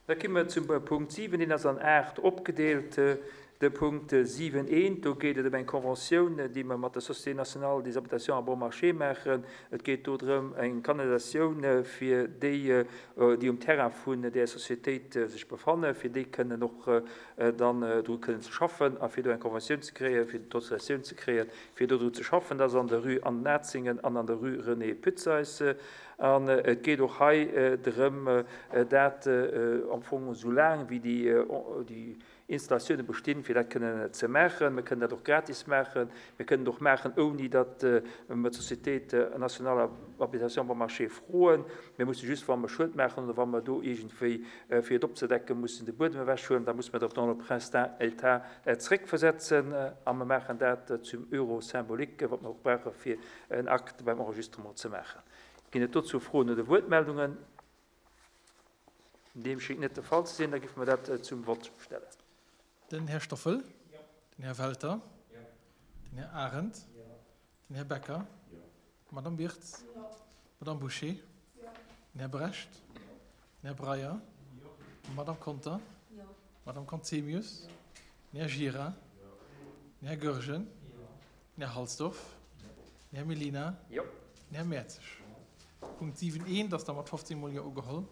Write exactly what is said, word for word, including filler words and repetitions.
Da komme mer zum Punkt siwen, deen ass an aacht opgedeelt. De Punkt siwen eent, do geet et ëm eng Conventioun, déi mer mat der Société nationale des habitations à bon marché maachen. Et geet do drëm, eng Kanalisatioun fir déi, déi um Terrain vun där Societéit sech befannen, fir déi kënnen och dann dru kënnen ze schaffen a fir do eng Conventioun ze kréien, fir d'Autorisatioun ze kréien, fir do dru ze schaffen. Dat ass an der Rue An den Atzingen an an der Rue René Putzeys. An et geet och hei drëm, dat am Fong esou laang wéi déi Installatioune bestinn, fir dat kënnen ze maachen. Mir kënnen dat och gratis maachen. Mir kënnen et och maachen, ouni datt mer d'Société nationale d'habitation bon marché froen. Mir musse just, wa mer Schued maachen oder wa mer do iergendwéi, fir et opzedecken, mussen de Buedem ewechhuelen, da musse mer dat dans le pristin état zeréckversetzen. A mer maachen dat zum Euro symbolique, wat mer och brauche fir en Acte beim Enregistrement ze maachen. Ginn et dozou Froen oder Wuertmeldungen? Deem schéngt net de Fall ze sinn. Da géife mer dat zum Vott stellen. Den Här Stoffel. Den Här Welter. Den Här Arendt. Den Här Becker. D'Madame Birtz. D'Madame Bouché. Den Här Brecht. Den Här Breyer. D'Madame Conter. D'Madame Conzemius. Den Här Gira. Den Här Goergen. Den Här Halsdorf. Den Här Mellina. Den Här Mertzig. Punkt siwen eent ass da mat fofzéng mol Jo ugeholl.